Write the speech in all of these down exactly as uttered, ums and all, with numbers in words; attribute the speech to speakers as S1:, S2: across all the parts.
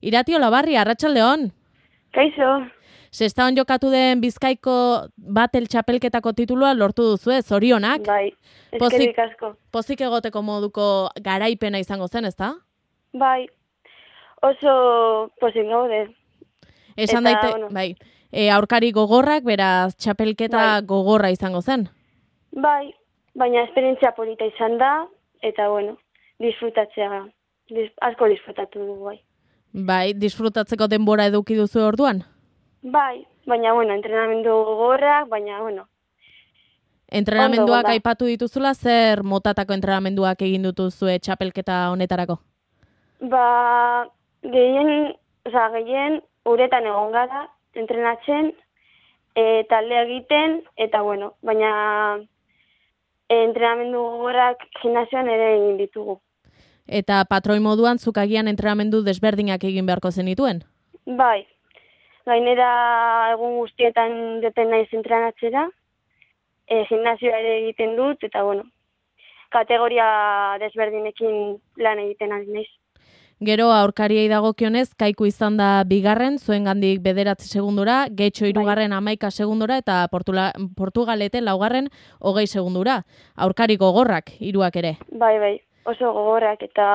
S1: Irati Olabarri, arratsaldeon.
S2: Kaixo.
S1: Sestaon jokatu den Bizkaiko batel txapelketako titulua lortu duzu, ez? Zorionak.
S2: Bai, eskerrik asko.
S1: Pozik egoteko moduko garaipena izango zen, ezta?
S2: Bai, oso pozik gaude.
S1: Esan daite,
S2: bueno.
S1: bai. E, aurkari gogorrak, beraz, txapelketa
S2: Bai.
S1: gogorra izango zen.
S2: Bai, baina esperientzia polita izan da, eta bueno, disfrutatzea, dis, asko disfrutatu dugu, bai.
S1: Bai, disfrutatzeko denbora eduki duzu orduan?
S2: Bai, baina bueno, entrenamendu gogorrak, baina bueno.
S1: Entrenamenduak
S2: Ondo,
S1: aipatu dituzula, zer motatako entrenamenduak egin dituzue txapelketa honetarako?
S2: Ba, gehien, oza, gehien uretan egon gara, entrenatzen, e, talde egiten, eta bueno, baina e, entrenamendu gogorrak gimnasioan ere egin ditugu.
S1: Eta patroi moduan zuk agian entrenamendu desberdinak egin beharko zenituen?
S2: Bai, gainera egun guztietan deten naiz entrenatzera, e, gimnasioa ere egiten dut, eta bueno, kategoria desberdinekin lan egiten ari naiz.
S1: Gero aurkariei dagokionez, Kaiku izan da bigarren, zuengandik bederatzi segundura, Getxo hirugarren hamaika segundura, eta Portula, Portugalete laugarren hogei segundura. Aurkari gogorrak, hiruak ere.
S2: Bai, bai, oso gogorrak eta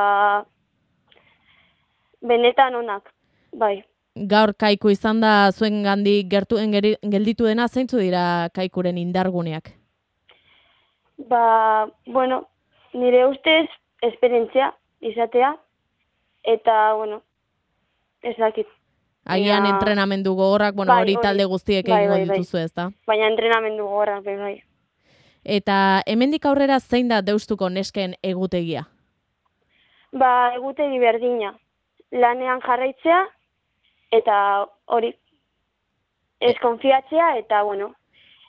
S2: benetan onak, bai.
S1: Gaur Kaiku izan da zuengandik gertuen geri- gelditu dena, zeintzu dira Kaikuren indarguneak?
S2: Ba, bueno, nire ustez esperientzia izatea, eta, bueno, ez dakit.
S1: Agian
S2: Baina-
S1: entrenamendu gogorrak, bueno,
S2: Bai,
S1: hori
S2: hori.
S1: talde guztiek
S2: Bai,
S1: egingo
S2: bai, bai.
S1: dituzu, ez da?
S2: Baina entrenamendu gogorrak, bai, bai.
S1: Eta hemendik aurrera zein da Deustuko nesken egutegia?
S2: Ba, egutegi berdina. Lanean jarraitzea, eta hori, ez konfiatzea, eta, bueno,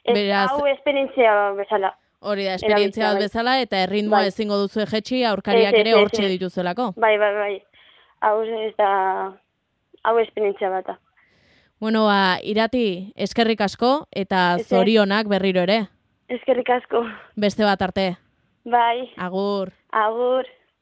S2: ez,
S1: Beraz-
S2: hau esperientzia bezala.
S1: Hori da, esperientzia bat
S2: Erabiltzea, bai.
S1: bezala, eta erritmoa
S2: Bai.
S1: ezingo duzu jetxi, aurkariak
S2: Ez, ez,
S1: ere
S2: ez,
S1: hortxe
S2: ez.
S1: dituzelako.
S2: Bai, bai, bai. Hau ez da, hau esperientzia bata.
S1: Bueno, ba, Irati, eskerrik asko, eta
S2: Ez, ez.
S1: zorionak berriro ere.
S2: Eskerrik asko.
S1: Beste bat arte.
S2: Bai,
S1: Agur.
S2: agur.